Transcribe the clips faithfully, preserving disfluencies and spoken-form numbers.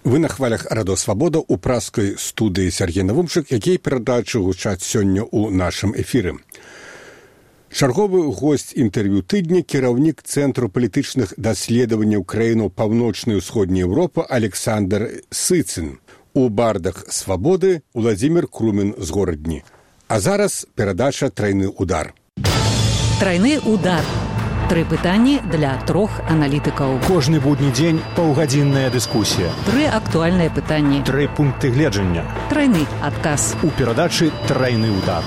Вы на хвалях Радо Свабода у праскай студыі Сергей Навумчык, якія перадачы гучаць сёння ў нашым эфіры. Чарговы госць інтэрв'ю тыдня кіраўнік Цэнтру палітычных даследаванняў краінаў Паўночнай і Усходняй Еўропы Александр Сыцын. У бардах Свабоды Уладзімір Крумін з Горадні. А зараз перадача «Трайны удар». «Трайны удар». Тры пытанні для трох аналітыкаў. Кожны будні дзень паўгадзінная дыскусія. Тры актуальныя пытанні. Тры пункты гледжання. Трайны адказ. У перадачы «Трайны удар».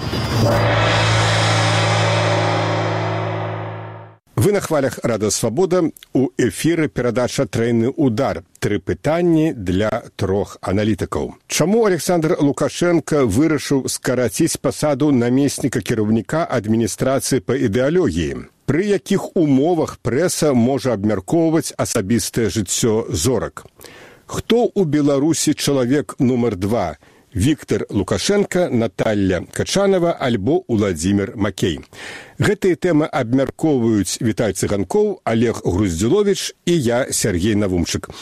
Вы на хвалях Рада Свабода. У эфіры перадача «Трайны удар». Тры пытанні для трох аналітыкаў. Чаму Александр Лукашенко вырашыў скараціць пасаду намесніка кіраўніка адміністрацыі па ідэалогіі? Пры якіх умовах прэса можа абмяркоўваць асабістае жыццё зорак? Хто ў Беларусі чалавек нумар два? Віктор Лукашенко, Наталья Качанова альбо Уладзімір Макей. Гэтыя тэмы абмяркоўваюць Віталь Цыганкоў, Олег Груздзіловіч і я, Сергей Навумчык.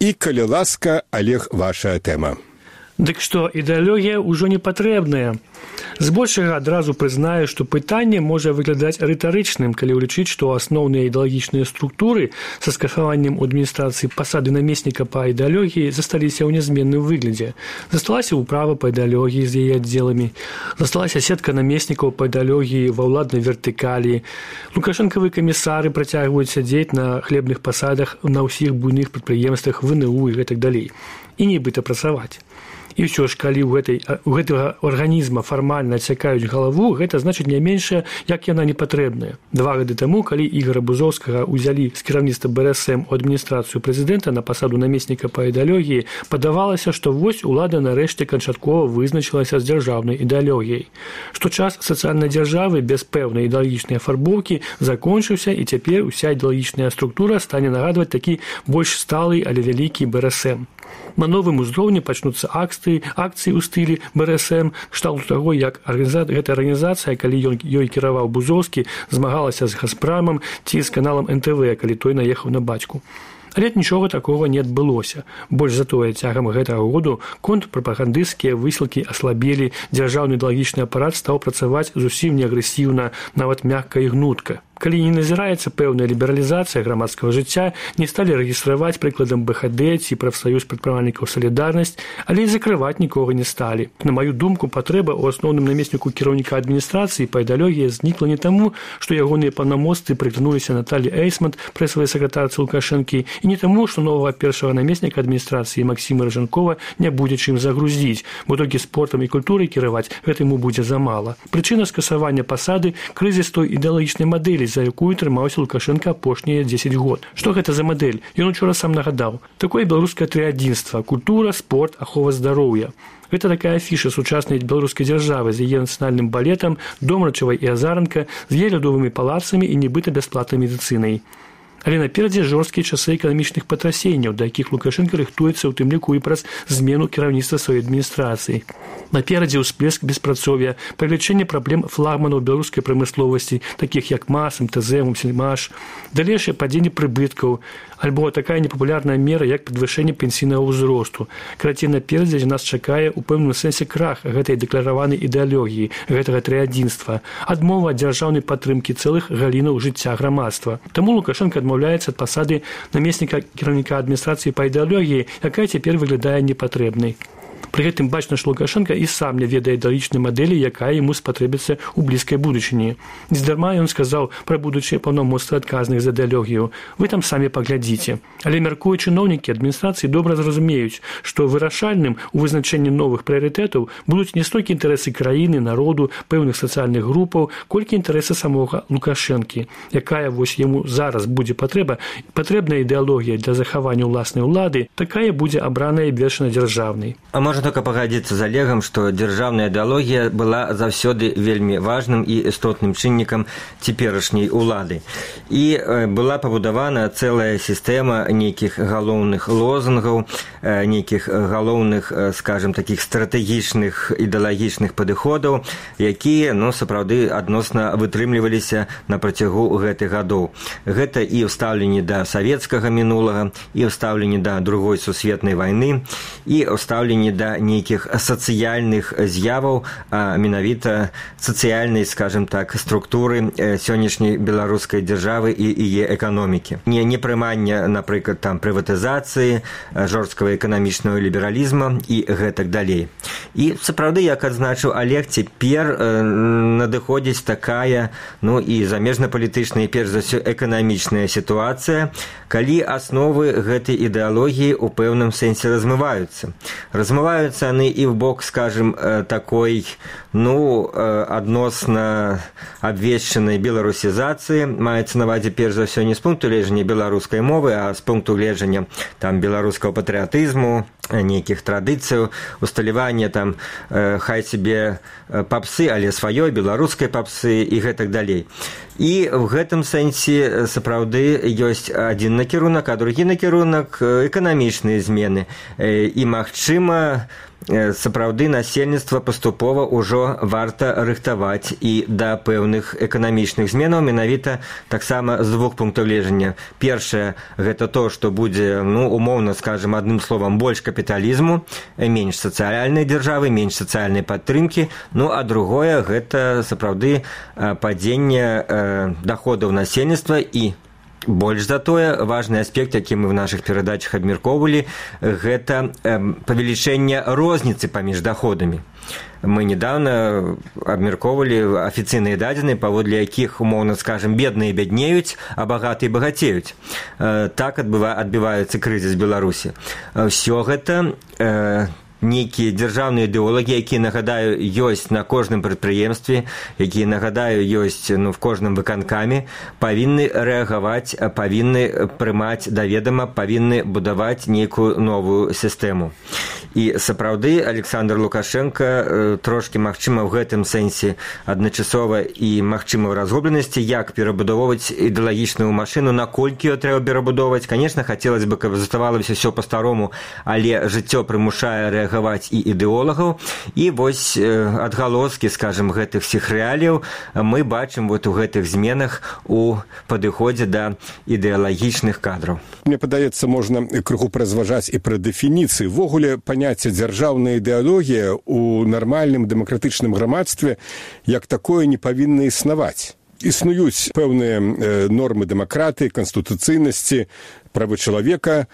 І, калі ласка, Олег, ваша тэма. Дык што, ідэалогія ўжо не патрэбная. Збольшага адразу прызнаю, што пытанне можа выглядаць рытарычным, калі ўлічыць, што асноўныя ідэалагічныя структуры са скасаваннем у адміністрацыі пасады намесніка па ідэалогіі засталіся ў нязменным выглядзе. Засталася ўправа па ідэалогіі з яе аддзеламі, засталася сетка намеснікаў па ідэалогіі ва ўладнай вертыкалі. Лукашэнкавы камісары працягваюць сядзець на хлебных пасадах на ўсіх буйных прадпрыемствах вэ эн у і гэтак далей. І нібыта працаваць. І ўсё ж, калі ў гэтай, у гэтага арганізма фармальна адсякаюць галаву, гэта значыць не меншае, як яна не патрэбная. Два гады таму, калі Ігора Бузоўскага ўзялі з кіраўніцтва бэ эр эс эм у адміністрацыю прэзідэнта на пасаду намесніка па ідэалогіі, падавалася, што вось улада нарэшце канчаткова вызначылася з дзяржаўнай ідэалогіяй. Што час сацыяльнай дзяржавы без пэўнай ідэалагічнай афарбоўкі закончыўся, і цяпер уся ідэалагічная структура стане нагадваць такі больш сталы, але вялікі бэ эр эс эм. На новым узроўні пачнуцца акцыі, акцыі ў стылі бэ эр эс эм, кшталту таго, як гэта арганізацыя, калі ён ёй кіраваў Бузоўскі, змагалася з Газпрамам ці з каналам эн тэ вэ, калі той наехаў на бацьку. Але нічога такога не адбылося. Больш затое цягам гэтага году контрпрапагандысцкія высілкі аслабелі, дзяржаўны ідэалагічны апарат стаў працаваць зусім не агрэсіўна, нават мякка і гнутка. Калі не назіраецца пэўная лібералізацыя грамадскага жыцця, не сталі рэгістраваць прыкладам бэ ха дэ ці прафсаюз прадпрымальнікаў «Салідарнасць», але і закрываць нікога не сталі. На маю думку, патрэба ў асноўным намесніку кіраўніка адміністрацыі па ідэалогіі знікла не таму, што ягоныя паўнамоцтвы прыткнуліся Наталі Эйсман, прэсавай сакратарцы Лукашэнкі, і не таму, што новага першага намесніка адміністрацыі Максіма Ражанкова не будзе чым загрузіць, бо толькі спортам і культурай кіраваць гэта яму будзе замала. Прычына скасавання пасады – крызіс той ідэалагічнай мадэлі, за якую трымаўся Лукашенко апошнія дзесяць год. Што гэта за мадэль? Ён учора сам нагадаў. Такое беларускае трыадзінства – культура, спорт, ахова здароўя. Гэта такая афіша сучаснай беларускай дзяржавы з яе нацыянальным балетам, Домрачавай і Азаранка, з яе лядовымі палацамі і нібыта бясплатнай медыцынай. Але наперадзе жорсткія часы эканамічных патрасенняў, да якіх Лукашенко рыхтуецца ў тым ліку і праз змену кіраўніцтва сваёй адміністрацыі. Наперадзе ўсплеск беспрацоўя, павелічэнне праблем флагманаў беларускай прамысловасці, такіх як МАЗ, эм тэ зэ, Мусельмаш, далейшае падзенне прыбыткаў, альбо такая непапулярная мера, як падвышэнне пенсійнага ўзросту. Карацей, наперадзе нас чакае ў пэўным сэнсе крах гэтай дэклараванай ідэалогіі, гэтага трыадзінства, адмова ад дзяржаўнай падтрымкі цэлых галінаў жыцця грамадства. Таму Лукашенко адмаўляецца ад пасады намесніка кіраўніка адміністрацыі па ідэалогіі, якая цяпер выглядае непатрэбнай. Пры гэтым бачна, што Лукашенко і сам не ведае ідэалагічнай мадэлі, якая яму спатрэбіцца ў блізкай будучыні. Нездарма ён сказаў пра будучыя паўнамоцтвы адказных за ідэалогію. Вы там самі паглядзіце. Але мяркуе чыноўнікі адміністрацыі добра зразумеюць, што вырашальным у вызначэнні новых прыярытэтаў будуць не столькі інтарэсы краіны, народу, пэўных сацыяльных групаў, колькі інтарэсы самога Лукашэнкі, якая вось яму зараз будзе патрэба, патрэбная ідэалогія для захавання ўласнай улады, такая будзе абраная і абвешчана дзяржаўнай. А можа можна только пагадзіцца з Олегам, што дзяржаўная ідэалогія была заўсёды вельмі важным і істотным чыннікам цяперашняй улады. І была пабудавана цэлая сістэма нейкіх галоўных лозунгаў, нейкіх галоўных, скажем, такіх стратэгічных ідэалагічных падыходаў, якія, ну, сапраўды адносна вытрымліваліся на працягу гэтых гадоў. Гэта і ўстаўленне да савецкага мінулага, і ўстаўленне да другой сусветнай вайны, і ўстаўленне да нейкіх сацыяльных з'яваў, а менавіта сацыяльнай, скажем так, структуры сённяшняй беларускай дзяржавы і яе эканомікі. Не непрымання, напрыклад, там прыватызацыі, жорсткага эканамічнага лібералізма і гэтак далей. І сапраўды, як адзначыў Олег, цяпер надыходзіць такая, ну і замежна-палітычная, і перш за ўсё эканамічная сітуацыя, калі асновы гэтай ідэалогіі ў пэўным сэнсе размываюцца. Размываюцца яны і ў бок, скажем, такой, ну, адносна абвешчанай беларусізацыі, маецца на ўвазе перш за ўсё не з пункту гледжання беларускай мовы, а з пункту гледжання там беларускага патрыятызму, нейкіх традыцыяў, усталявання там э, хай себе папсы, але сваёй беларускай папсы і гэтак далей. І в гэтым сэнсе сапраўды ёсць адзін накірунак, а другі накірунак эканамічныя змены. І, магчыма, сапраўды насельніцтва паступова ўжо варта рыхтаваць і да пэўных эканамічных зменаў, менавіта таксама з двух пунктаў гледжання. Першае, гэта то, што будзе, ну, умоўна, скажем, адным словам, больш капіталізму, менш сацыяльнай дзяржавы, менш сацыяльнай падтрымкі, ну, а другое, гэта сапраўды падзенне даходаў насельніцтва і больш за тое, важны аспект, які мы в нашых перадачах абмяркоўвалі, гэта павелічэнне розніцы паміж доходамі. Мы недавно абмяркоўвалі афіцыйныя дадзеныя, паводле якіх, умоўна скажем, бедныя бяднеюць, а багатыя багацеюць. Так адбіваецца крызіс Беларусі. Усё гэта нейкія дзяржаўныя ідэолагі, якія, нагадаю, ёсць на кожным прадпрыемстве, якія, нагадаю, ёсць, ну, в кожным выканкаме, павінны рэагаваць, павінны прымаць да ведама, павінны будаваць нейкую новую сістэму. І сапраўды Александр Лукашенко трошкі, магчыма, в гэтым сэнсе адначасова і, магчыма, в разгубленасці, як перабудоўваць ідэалагічную машыну, наколькі ее трэба перабудоўваць. Конечно, хацелось бы, каб заставалася ўсё па-старому, але жыццё прымушае рэагаваць і ідэолагаў. І вось адгалоскі, скажем, гэтых всіх рэаліяў мы бачым вот у гэтых зменах у падыходзе да ідэалагічных кадраў. Мне падаецца, можна крыху празважаць і пра дэфініцыі. Ввогуле паняцце дзяржаўная ідэалогія ў нармальным дэмакратычным грамадстве як такое не павінна існаваць. Існуюць пэўныя нормы дэмакратыі, канстытуцыйнасці, правы чалавека,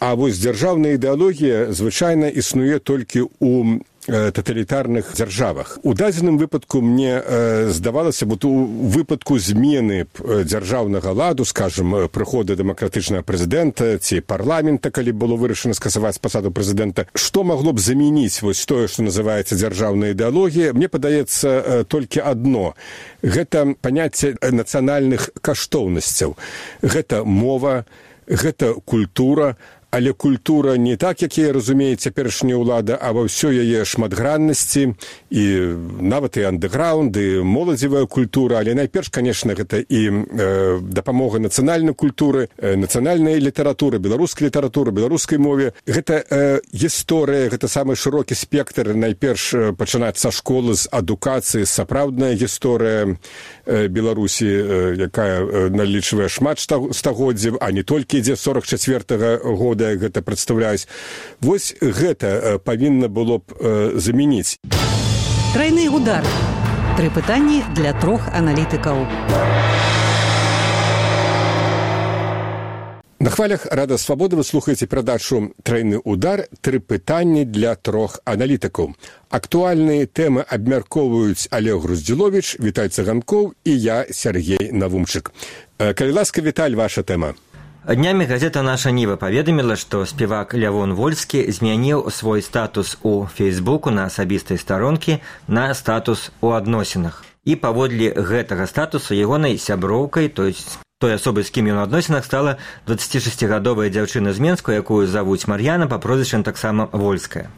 а вось дзяржаўная ідэалогія звычайна існуе толькі ў таталітарных дзяржавах. У дадзеным выпадку мне э, здавалася, бо у выпадку змены дзяржаўнага ладу, скажем, прыхода дэмакратычнага прэзідэнта ці парламента, калі было вырашана скасаваць пасаду прэзідэнта, што магло б замяніць вось тое, што называецца дзяржаўная ідэалогія, мне падаецца э, толькі адно. Гэта паняцце нацыянальных каштоўнасцяў. Гэта мова, гэта культура, але культура не так, як яе разумее цяперашняя ўлада, а ва ўсёй яе шматграннасці і нават і андэграунд, і моладзевая культура, але найперш, конечно, гэта і э, дапамога нацыянальнай культуры, э, нацыянальнай літаратуры, беларускай літаратуры, беларускай мове. Гэта э, гісторыя, гэта самы шырокі спектр, найперш пачынаць са школы, з адукацыі, сапраўдная гісторыя э, Беларусі, э, якая э, налічвае шмат стагоддзяў, а не толькі ідзе сорок чацвёртага года, гэта прадстаўляюць. Вось гэта павінна было б э, замяніць. Трайны удар. Тры пытанні для трох аналітыкаў. На хвалях Рада Свабоды вы слухаеце перадачу «Трайны удар. Тры пытанні для трох аналітыкаў». Актуальныя тэмы абмяркоўваюць Олег Груздзіловіч, Віталь Цыганкоў і я, Сергей Навумчык. Калі ласка, Віталь, ваша тэма. Днямі газета «Наша Ніва» паведаміла, што спевак Лявон Вольскі змяніў свой статус у Фейсбуку на асабістай старонкі на статус у адносінах. І паводле гэтага статусу ягонай сяброўкай, то есть той асобай, з кім ён у адносінах, стала дваццацішасцігадовая дзяўчына з Менску, якую завуць Мар'яна, па прозвішчам таксама Вольская.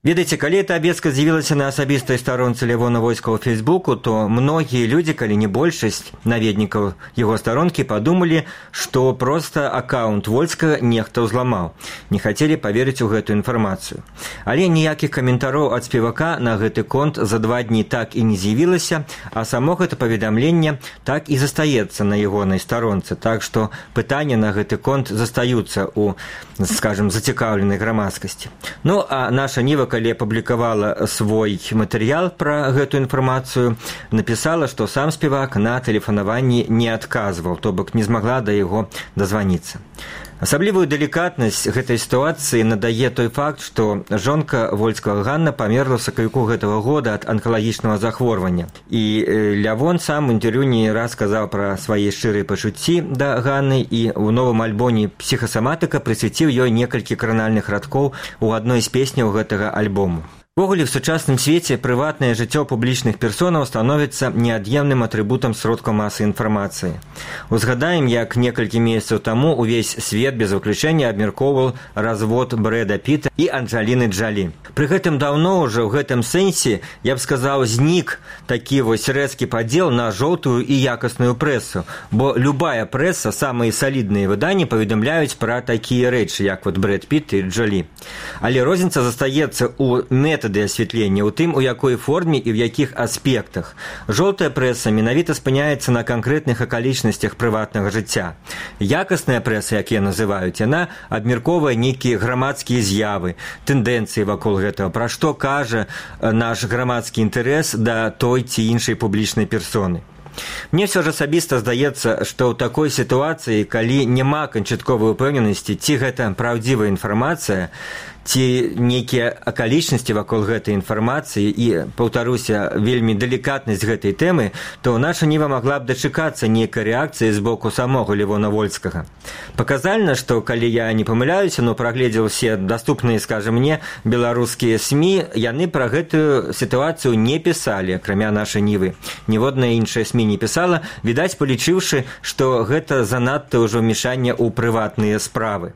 Ведаеце, калі эта абвестка з'явілася на асабістай старонцы Лявона Вольскага ў Фейсбуку, то многія людзі, калі не большасць наведнікаў яго старонкі, падумалі, што проста аккаунт Вольскага нехта ўзламаў. Не хацелі паверыць у гэтую інфармацыю. Але ніякіх каментароў ад спевака на гэты конт за два дні так і не з'явілася, а само гэта паведамленне так і застаецца на ягонай старонцы. Так што пытанні на гэты конт застаюцца у, скажем, зацікаўленай грамадскасці. Ну, а наша Ніва, калі апублікавала свой матэрыял пра гэтую інфармацыю, напісала, што сам спевак на тэлефанаванні не адказваў, то бок не змагла да яго дазваніцца. Асаблівую далікатнасць гэтай сітуацыі надае той факт, што жонка Вольскага Ганна памерла ў сакавіку гэтага года ад анкалагічнага захворвання. І Лявон сам у інтэрв'ю не раз казаў пра свае шчырыя пачуцці да Ганны і ў новым альбоме «Псіхасаматыка» прысвяціў ёй некалькі кранальных радкоў у адной з песняў гэтага альбому. Увогуле, в сучасным свеце прыватнае жыццё публічных персонаў становіцца неад'емным атрыбутам сродкаў масавай інфармацыі. Узгадаем, як некалькі месяцаў таму увесь свет без выключэння абмяркоўваў развод Брэда Піта і Анджаліны Джолі. Пры гэтым даўно ўжо ў гэтым сэнсе, я б сказаў, знік такі вось рэзкі падзел на жоўтую і якасную прэсу, бо любая прэса, самыя салідныя выданні паведамляюць пра такія рэчы, як вот Брэд Піт і Джолі. Але розніца застаецца ў метады асвятлення, у тым, у якой форме і ў якіх аспектах. Жоўтая прэса менавіта спыняецца на канкрэтных акалічнасцях прыватнага жыцця. Якасная прэса, як я называюць, яна абмяркоўвае нейкія грамадскія з'явы, тэндэнцыі вакол гэтага, пра што кажа наш грамадскі інтарэс да той ці іншай публічнай персоны. Мне ўсё ж асабіста здаецца, што ў такой сітуацыі, калі няма канчатковай упэўненасці, ці гэта праўдзівая інфармацыя, ці нейкія акалічнасці вакол гэтай інфармацыі і, паўтаруся, вельмі далікатнасць гэтай тэмы, то наша Ніва магла б дачакацца нейкай рэакцыі з боку самога Лявона Вольскага. Паказальна, што, калі я не памыляюся, но прагледзеў усе даступныя, скажам мне, беларускія СМІ, яны пра гэтую сітуацыю не пісалі, акрамя нашай Нівы. Ніводная іншая СМІ не пісала, відаць, палічыўшы, што гэта занадта ўжо мешанне ў прыватныя справы.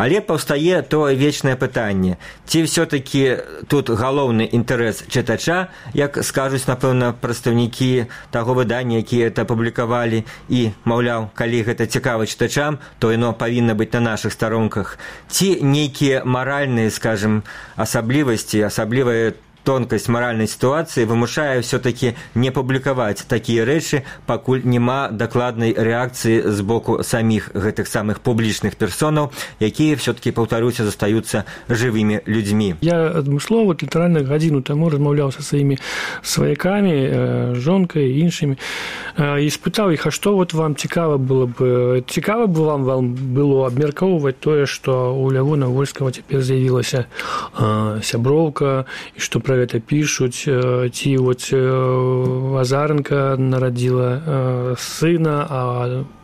Але паўстае тое вечнае пытанне, ці ўсё-такі тут галоўны інтарэс чытача, як скажуць, напэўна, прадстаўнікі таго выдання, якія это апублікавалі, і, маўляў, калі гэта цікава чытачам, то яно павінна быць на нашых старонках, ці нейкія маральныя, скажем, асаблівасці, асаблівыя тонкасць маральнай сітуацыі вымушае ўсё-такі не публікаваць такія рэчы, пакуль няма дакладнай рэакцыі з боку саміх гэтых самых публічных персонаў, якія ўсё-такі, паўтаруся, застаюцца жывымі людзьмі. Я адмыслова літаральна гадзіну таму размаўляў са сваімі сваякамі, жонкай і іншымі, і спытаў іх, а што вот вам цікава было б, цікава б вам, вам было абмяркоўваць тое, што у Лявона Вольскага цяпер з'явілася сяброўка, і што пра гэта пішуць, ці вот Азаренка нарадзіла сына, а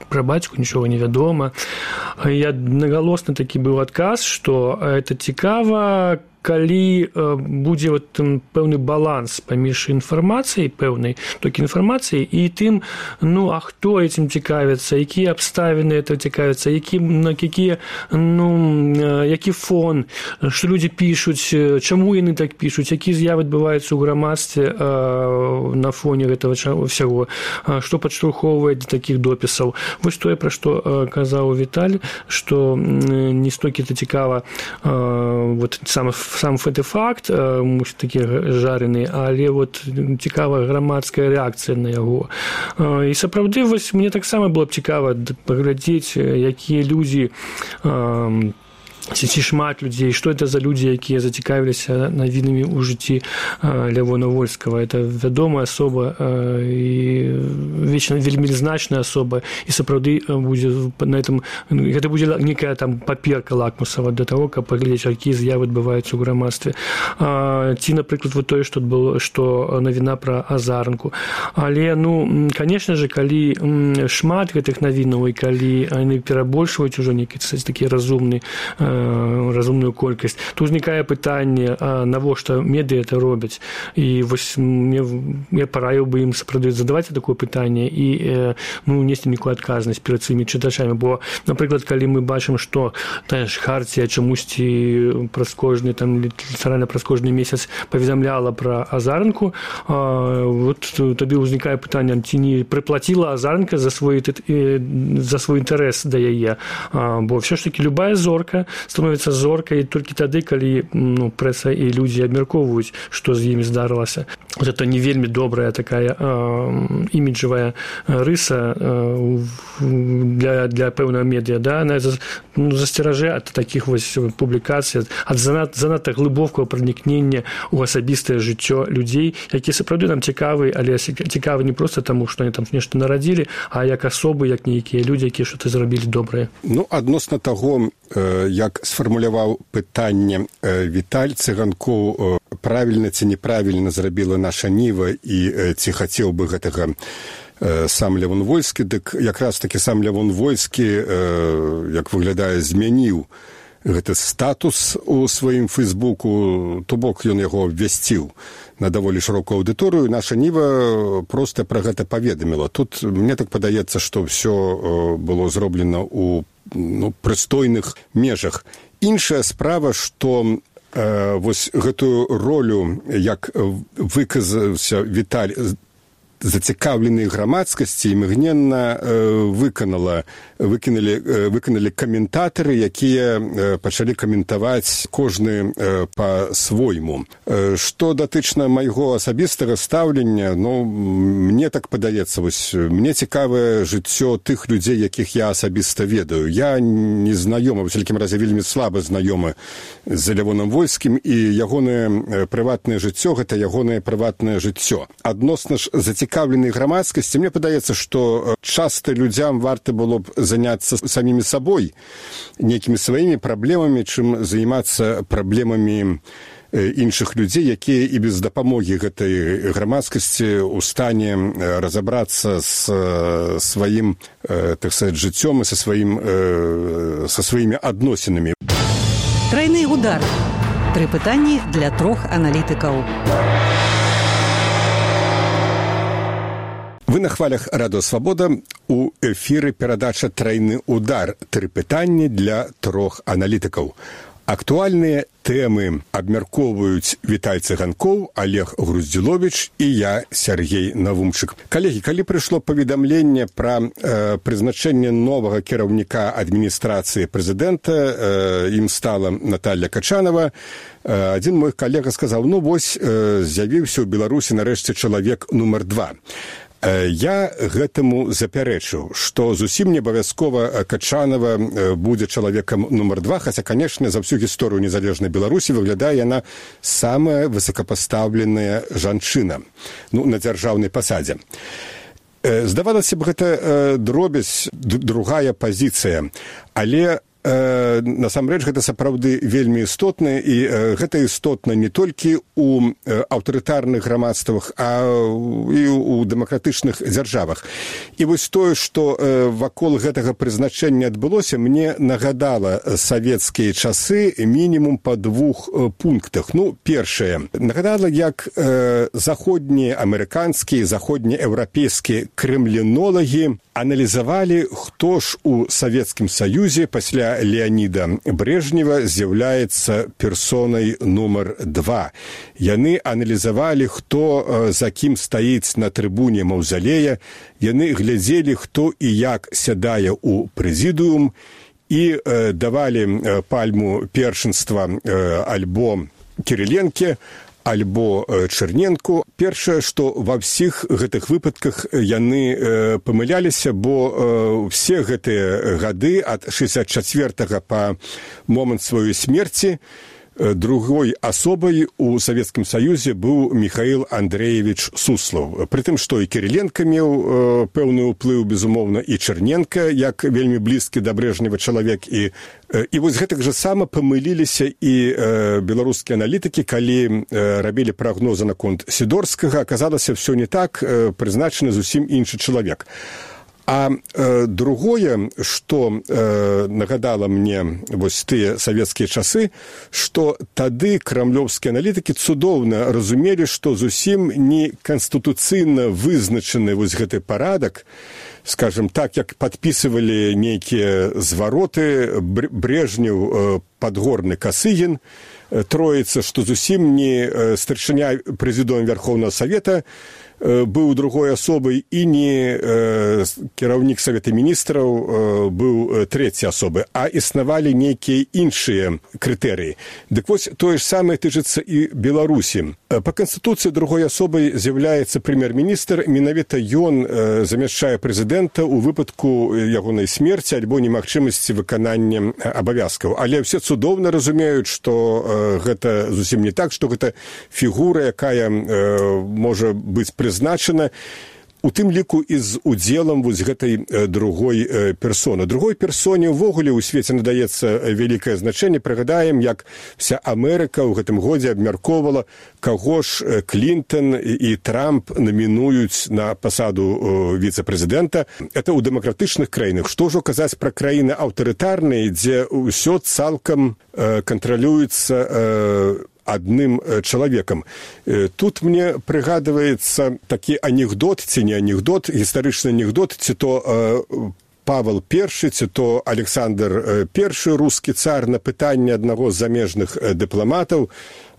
пра бацьку нічога не вядома. Я нагалосны такі быў адказ, што это цікава, калі будзе вот пэўны баланс паміж інфармацыяй пэўнай, толькі інфармацыяй і тым, ну, а хто этим цікавіцца, якія абставіны этого цікавяцца, які, якія, ну, які фон, што людзі пішуць, чаму яны так пішуць, якія з'явы адбываюцца ў грамадстве на фоне гэтага ўсяго, што падштурхоўвае да такіх допісаў. Вось тое, пра што казаў Віталь, што не столькі-то цікава вот сам сам гэты факт, мусіць такі жарены, але вот цікавая грамадская рэакцыя на яго. І сапраўды, вось мне таксама было б цікава паглядзець, якія людзі, ці, ці шмат людзей, што это за людзі, якія зацікавіліся навінамі ў жыцці Лявона Вольскага. Это вядомая асоба і вечна вельмі значная асоба, і сапраўды будзе на этом, гэта будзе некая там паперка лакмусава для того, каб паглядзець, якія з'явы адбываюцца ў грамадстве. Ці, напрыклад, вот тое, што было, што навіна пра Азаренку. Але, ну, конечно же, калі шмат гэтых навінаў, і калі яны перабольшваюць ужо нейкі такі разумны разумную колькасць. Тут узнікае пытанне, навошта медыа это робяць. І вось мне, я параіў бы ім сапраўды задаваць такое пытанне і ну, несці нейкую адказнасць перад сваімі чытачамі. Бо, напрыклад, калі мы бачым, што тая ж Хартія чамусьці праз кожны, там, літаральна праз кожны месяц паведамляла пра Азарынку, вот тады ўзнікае пытанне, ці не прыплаціла Азарынка за свой, за свой інтарэс да яе. Бо ўсё ж такі любая зорка становіцца зоркай толькі тады, калі ну, прэса і людзі абмяркоўваюць, што з імі здарылася. Вот это не вельмі добрая такая э, іміджавая рыса э, для, для пэўнага медыа. Да? Она ну, засцеражэ ад такіх вось публікацый, ад занад, занадта глыбокага пранікнення ў асабістае жыццё людзей, якія сапраўды нам цікавы, але цікавы не проста таму, што они там нешта нарадзілі, а як асобы, як нейкія людзі, якія што-то зрабілі добрае. Ну, адносна таго, як сфармуляваў пытанне Віталь Цыганкоў, правільна ці неправільна зрабіла наша Ніва і ці хацеў бы гэтага сам Лявон Вольскі, дык якраз такі сам Лявон Вольскі, як выглядае, змяніў гэты статус у сваім фейсбуку, то бок ён яго абвясціў на даволі шырокую аўдыторыю. Наша Ніва проста пра гэта паведаміла. Тут мне так падаецца, што ўсё было зроблена ў ну, прыстойных межах. Іншая справа, што э, вось гэтую ролю, як выказаўся Віталь, зацікаўленай грамадскасці імгненна э, выканала, выкінулі, э, выканалі каментатары, якія э, пачалі каментаваць кожны э, па-свойму. Э, што датычна майго асабістага стаўлення, ну, мне так падаецца, вось, мне цікавае жыццё тых людзей, якіх я асабіста ведаю. Я не знаёмы, вось, якім разе вельмі слаба знаёмы з Лявоном Вольскім, і ягонае прыватнае жыццё – гэта ягонае прыватнае жыццё. Адносна ж зацікаўленай грамадскасці, мне падаецца, што часта людзям варта было б заняцца самімі сабой, нейкімі сваімі праблемамі, чым займацца праблемамі іншых людзей, якія і без дапамогі гэтай грамадскасці ў стане разабрацца з сваім, так сказаць, жыццём і са сваім, са сваімі адносінамі. Трайны удар. Тры пытанні для трох аналітыкаў. Вы на хвалях Радыё Свабода. У эфіры перадача «Трайны удар». Тры пытанні для трох аналітыкаў. Актуальныя тэмы абмяркоўваюць Віталь Цыганкоў, Олег Груздзіловіч і я, Сергей Навумчык. Калегі, калі прыйшло паведамленне пра э, прызначэнне новага кіраўніка адміністрацыі прэзідэнта, э, ім стала Наталья Качанова, э, адзін мой калега сказаў, ну вось, э, з'явіўся ў Беларусі нарэшце чалавек нумар два. Я гэтаму запярэчыў, што зусім не абавязкова Качанова будзе чалавекам нумар два, хаця, канешне, за всю гісторыю незалежнай Беларусі выглядае яна самая высокапастаўленая жанчына, ну, на дзяржаўнай пасадзе. Здавалася б, гэта дробязь, другая пазіцыя, але Э, насамрэч гэта сапраўды вельмі істотна, і э, гэта істотна не толькі ў э, аўтарытарных грамадствах, а і ў дэмакратычных дзяржавах. І вось тое, што э, вакол гэтага прызначэння адбылося, мне нагадала савецкія часы мінімум па двух э, пунктах. Ну, першае, нагадала, як э, заходнія амерыканскія, заходнееўрапейскія крэмлінолагі аналізавалі, хто ж у Савецкім Саюзе пасля Леаніда Брежнева з'яўляецца персонай нумар два. Яны аналізавалі, хто за кім стаіць на трыбуне маўзалея, яны глядзелі, хто і як сядае ў прэзідыум, і э, давалі э, пальму першынства э, альбо Кіриленке, альбо Чэрненку. Першае, што ва ўсіх гэтых выпадках яны э, памыляліся, бо э, все гэтыя гады ад шэсцьдзесят чацвёртага па момант сваёй смерці другой асобай у Савецкім Саюзе быў Міхаіл Андрэевіч Суслаў. Прытым, што і Кіриленка меў э, пэўны ўплыў, безумоўна, і Чэрненка, як вельмі блізкі да Брежнева чалавек. І, э, і вось гэтак жа сама памыліліся і э, беларускія аналітыкі, калі э, рабілі прагнозы наконт Сідорскага. Аказалася, ўсё не так, э, прызначаны зусім іншы чалавек. А э, другое, што э, нагадала мне вось тыя савецкія часы, што тады крамлёвскія аналітыкі цудоўна разумелі, што зусім не канстытуцыйна вызначаны вось гэты парадак, скажем так, як падпісывалі нейкія звароты Брежнеў, Падгорны, Касыгін, Троіца, што зусім не старшыня прэзідыума Верховнага Савета быў другой асобай і не э, кіраўнік Савета міністраў э, быў трэцяй асобай, а існавалі нейкія іншыя крытэрыі. Дык вось тое ж самае тычыцца і Беларусі. Па Канстытуцыі другой асобай з'яўляецца прэм'ер-міністр, менавіта ён э, замяшчае прэзідэнта ў выпадку ягонай смерці альбо немагчымасці выканання абавязкаў. Але ўсе цудоўна разумеюць, што э, гэта зусім не так, што гэта фігура, якая э, можа быць прызначана у тым ліку і з удзелам вось гэтай другой персоны. Другой персоне ўвогуле ў свеце надаецца вялікае значэнне. Прыгадаем, як вся Амерыка ў гэтым годзе абмяркоўвала, каго ж Клінтон і Трамп намінуюць на пасаду віцэ-прэзідэнта. Это ў дэмакратычных краінах. Што ўжо казаць пра краіны аўтарытарныя, дзе ўсё цалкам кантралюецца адным чалавекам. Тут мне прыгадваецца такі анекдот, ці не анекдот, гістарычны анекдот, ці то Павел Першы, ці то Александр Першы, рускі цар, на пытанне аднаго з замежных дыпламатаў: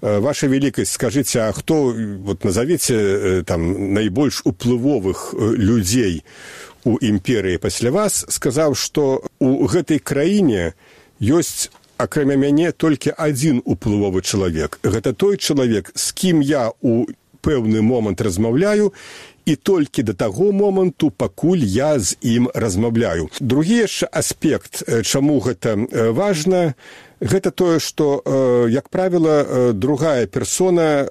«Ваша великасць, скажыце, а хто, вот назовіце там найбольш уплывовых людзей у імперыі пасля вас», сказаў, што у гэтай краіне ёсць акрамя мяне толькі адзін уплывовы чалавек. Гэта той чалавек, з кім я ў пэўны момант размаўляю, і толькі да таго моманту, пакуль я з ім размаўляю. Другі яшчэ аспект, чаму гэта важна, гэта тое, што, як правіла, другая персона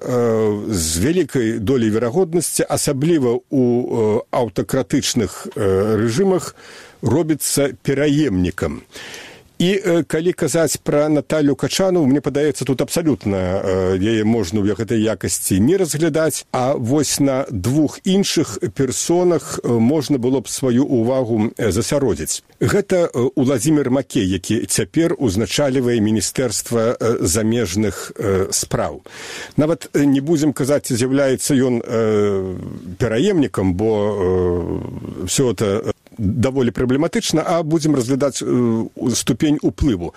з вялікай долей верагоднасці, асабліва ў аўтакратычных рэжымах, робіцца пераемнікам. І калі казаць пра Наталью Качанову, мне падаецца, тут абсалютна яе можна ў гэтай якасці не разглядаць, а вось на двух іншых персонах можна было б сваю ўвагу засяродзіць. Гэта Уладзімір Макей, які цяпер узначальвае Міністэрства замежных спраў. Нават не будзем казаць, з'яўляецца ён пераемнікам, бо все это даволі праблематычна, а будзем разглядаць ступень уплыву.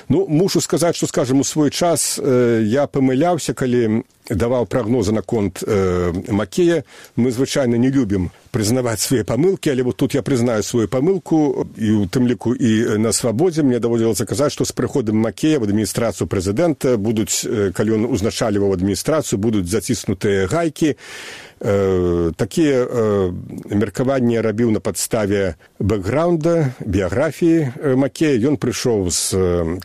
Ну, мушу сказаць, што, скажем, у свой час я памыляўся, калі даваў прагнозы наконт э, Макея. Мы звычайна не любім прызнаваць свае памылкі, але вот тут я прызнаю сваю памылку, і ў тым ліку і на свабодзе мне даводзілася казаць, што з прыходам Макея в адміністрацыю прэзідэнта будуць, калі ён узначальваў адміністрацыю, будуць заціснутыя гайкі. Э, такія э, меркаванні рабіў на падставе бэкграунда, біяграфіі Макея. Ён прыйшоў з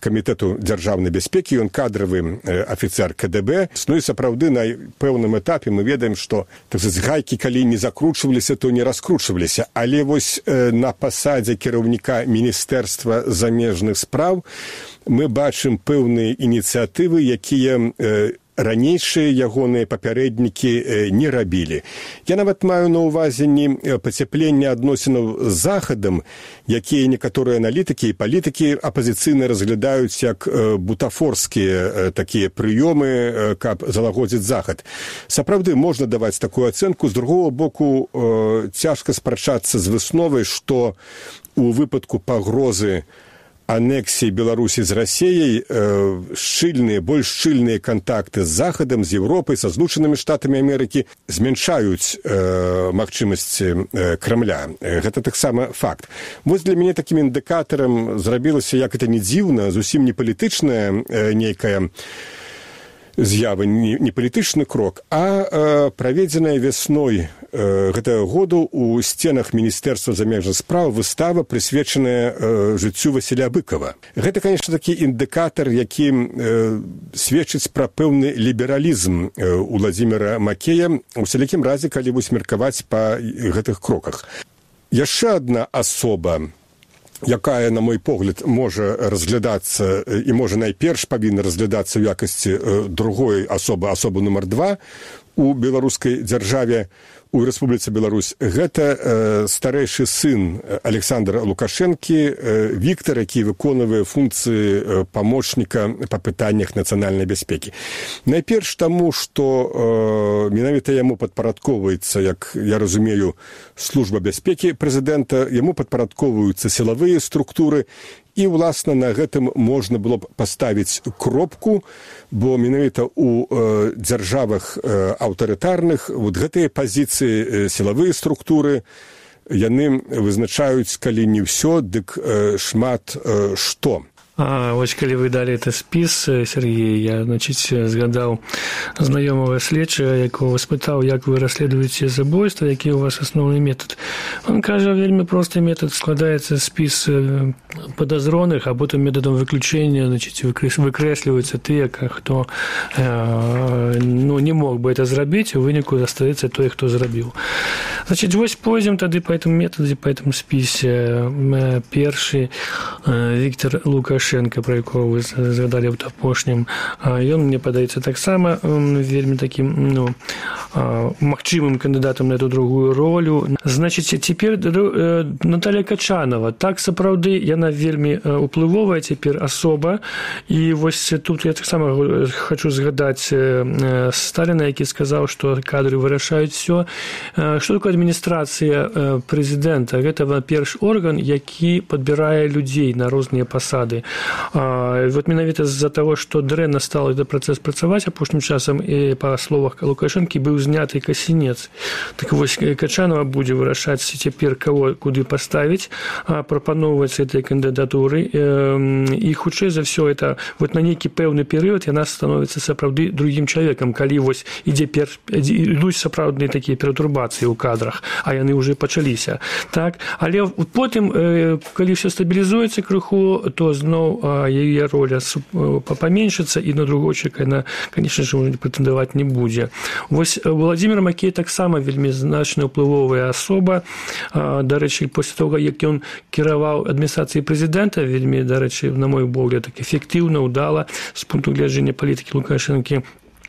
камітэту дзяржаўнай бяспекі, ён кадравы афіцэр ка дэ бэ. Ну і сапраўды на пэўным этапе мы ведаем, што так сказаць, гайкі, калі не закручваліся, то не раскручваліся. Але вось э, на пасадзе кіраўніка Міністэрства замежных спраў мы бачым пэўныя ініцыятывы, якія э, ранейшыя ягоныя папярэднікі не рабілі. Я нават маю на ўвазе не пацяпленне адносінаў з Захадам, якія некаторыя аналітыкі і палітыкі апазіцыйна разглядаюць як бутафорскія такія прыёмы, каб залагодзіць Захад. Сапраўды, можна даваць такую ацэнку. З другого боку, цяжка спрачацца з высновай, што у выпадку пагрозы анексіі Беларусі з Расіяй э, шчыльныя, больш шчыльныя кантакты з Захадам, з Еўропай, са Злучанымі Штатамі Амерыкі змяншаюць э, магчымасці э, Крамля. Гэта таксама факт. Вось для мяне такім індыкатарам зрабілася, як это не дзіўна, зусім не палітычная э, нейкая з'ява, не, не палітычны крок, а э, праведзеная вясной э, гэтага году у сценах Міністэрства замежных спраў выстава, прысвечаная э, жыццю Васіля Быкова. Гэта, конечно, такі індыкатар, які э, сведчыць пра пэўны лібералізм э, Уладзіміра Макея, у всялякім разе, калі вось меркаваць па гэтых кроках. Яшчэ адна асоба, якая, на мой погляд, можа разглядацца і можа найперш павінна разглядацца ў якасці другой асобы, асобы нумар два у беларускай дзяржаве, у Рэспубліцы Беларусь. Гэта э, старэйшы сын Александра Лукашэнкі, э, Віктар, які выконвае функцыі э, памочніка па пытаннях нацыянальнай бяспекі. Найперш таму, што э, менавіта яму падпарадковваецца, як я разумею, служба бяспекі прэзідэнта, яму падпарадковваюцца сілавыя структуры, і, уласна, на гэтым можна было б паставіць кропку, бо менавіта ў э, дзяржавах э, аўтарытарных вот гэтыя пазіцыі, э, сілавыя структуры, яны вызначаюць, калі не ўсё, дык э, шмат э, што. А, вось калі вы далі это спіс, Сергей, я, значыць, згадаў знаёмага следчага, якого спытаў, як вы расследуеце забойства, які у вас асноўны метад. Он кажа, вельмі просты метад, складаецца спіс падазроных, а потым метадам выключэння, значыць, выкрэсліваюцца тыя, хто э, ну, не мог бы это зрабіць, у выніку застаецца той, хто зрабіў. Значыць, вось пойдзем тады па гэтым метадзе, па гэтым спісе. Першы Віктар Лукашенко, про якого вы згадалі ў апошнім, ён, мне падаецца, таксама вельмі такім, ну, магчымым кандыдатам на эту другую ролю. Значыць, цяпер Наталья Качанова, так, сапраўды, яна вельмі уплывовая цяпер асоба, і вось тут я таксама хочу згадаць Сталіна, які сказаў, што кадры вырашаюць все. Што такое адміністрацыя прэзідэнта? Гэта, перш, орган, які падбірае людзей на розныя пасады. А, вот менавіта з-за таго, што дрэнна стала этот працэс працаваць апошнім часам, і па словах Лукашэнкі быў зняты касінец. Так вось Качанова будзе вырашаць цяпер, каго куды паставіць, прапаноўваць этой кандыдатуры, і хутчэй за ўсё это вот на нейкі пэўны перыяд яна становіцца сапраўды другім чалавекам, калі вось ідзе пер... ідуць сапраўдныя такія пературбацыі ў кадрах, а яны ўжо пачаліся. Так? Але потым, калі ўсё стабілізуецца крыху, то зноў яе роля паменшыцца, і на другого чалавека яна, конечно же, прэтэндаваць не будзе. Вось Владзімір Макей таксама вельмі значна ўплывовая асоба. Дарэчы, пасля того, як ён кіраваў адміністрацыяй прэзідэнта, вельмі, дарэчы, на мой погляд, так эфектыўна, удала з пункту гледжання палітыкі Лукашэнкі.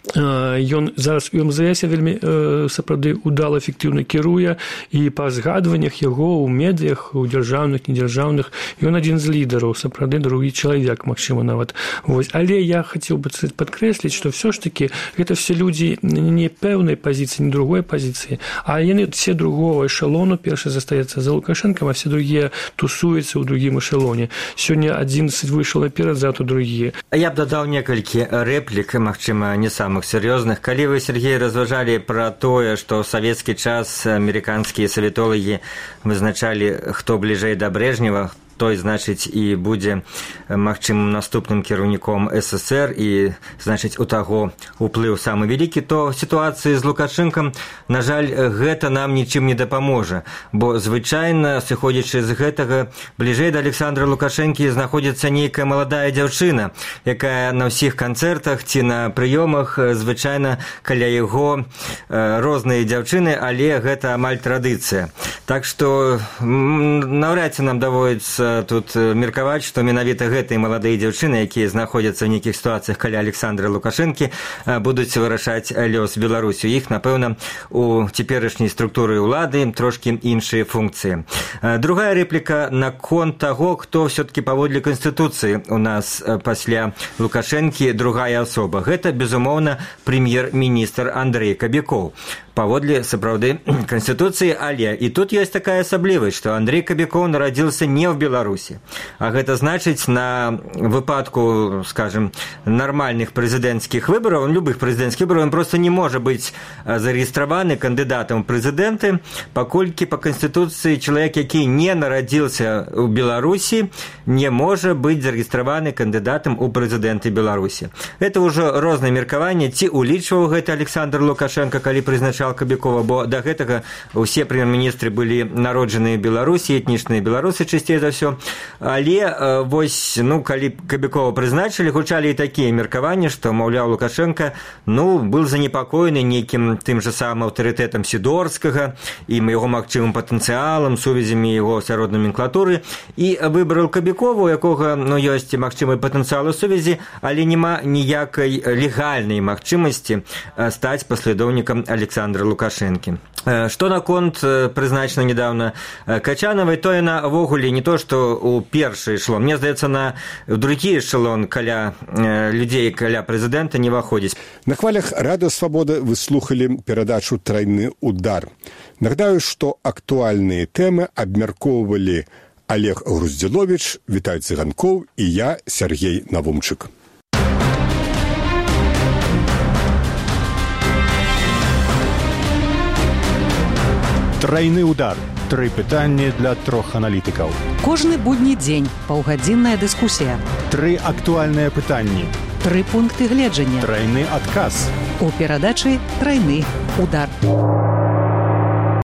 Ён зараз у эм зэ эс вельмі сапраўды удала, эфектыўна кіруе, і па згадваннях яго ў медыях, у дзяржаўных, недзяржаўных, ён адзін з лідараў, сапраўды другі чалавек, магчыма, нават. Вось. Але я хацеў бы падкрэсліць, што все ж таки гэта все людзі не пэўнай пазіцыі, не другой пазіцыі, а яны все другого эшелону, першы застаецца за Лукашэнкам, а все другія тусуюцца ў другім эшелоне. Сёння адзінаццаць выйшаў наперад, завтра другія. Я б дадаў некалькі рэплік, магчыма, не сам серьезных. Калі вы, Сергей, разважалі пра тое, што ў савецкі час амерыканскія саветолагі вызначалі, хто бліжэй да Брежнева, той, значыць, і будзе магчымым наступным кіраўніком эс эс эр, і, значыць, у таго уплыў самы вялікі, то сітуацыі з Лукашэнкам, на жаль, гэта нам нічым не дапаможа, бо звычайна, сыходзячы з гэтага, бліжэй да Александра Лукашэнкі знаходзіцца нейкая маладая дзяўчына, якая на ўсіх канцэртах ці на прыёмах, звычайна, каля яго розныя дзяўчыны, але гэта амаль традыцыя. Так што наўряд ці нам даводіцца тут меркаваць, што менавіта гэтыя маладыя дзяўчыны, якія знаходзяцца ў нейкіх сітуацыях каля Александра Лукашэнкі, будуць вырашаць лёс Беларусі. Іх, напэўна, у цяперашняй структуры ўлады трошкі іншыя функцыі. Другая рэпліка наконт таго, хто ўсё-такі паводле Канстытуцыі у нас пасля Лукашэнкі другая асоба. Гэта, безумоўна, прэм'ер-міністр Андрэй Кабякоў. Паводле, сапраўды, Канстытуцыі, але і тут ёсць такая асаблівасць, што Андрэй Кабякоў нарадзіўся не ў Беларусі. А гэта значыць, на выпадку, скажем, нармальных прэзідэнцкіх выбараў, любых прэзідэнцкіх выбараў, ён проста не можа быць зарэгістраваны кандыдатам у прэзідэнты, паколькі па Канстытуцыі чалавек, які не нарадзіўся ў Беларусі, не можа быць зарэгістраваны кандыдатам у прэзідэнты Беларусі. Гэта ўжо рознае меркаванне, ці улічваў гэта Александр Лукашенко, калі прызначаў Кабякова, бо да гэтага ўсе прэм'ер-міністры былі былі народжаныя Беларусі, этнічныя беларусы часцей за ўсё. Але вось, ну, калі Кабякова прызначылі, гучалі і такія меркаванні, што, маўляў, Лукашенко, ну, был занепакоены нейкім тым жа самым аўтарытэтам Сідорскага і яго магчымым патэнцыялам, сувязямі яго сярод номенклатуры, і выбраў Кабякову, у якога, ну, ёсць магчымы патэнцыял у сувязі, але няма ніякай легальнай магчымасці стаць паслядоўнікам Александра Лукашэнкі. Што наконт прызначана недавно Качанавай, то яна ввогуле не то, што ў першы эшелон, мне здаецца, на другі эшелон каля людзей, каля прэзідэнта не выходзіць. На хвалях Радыё Свабода вы слухалі перадачу «Трайны удар». Нагадаю, што актуальныя тэмы абмяркоўвалі Олег Груздзіловіч, Вітай Цыганкоў і я, Сергей Навумчык. Трайны удар. Тры пытанні для трох аналітыкаў. Кожны будні дзень паўгадзінная дыскусія. Тры актуальныя пытанні. Тры пункты гледжання. Трайны адказ. У перадачы «Трайны удар».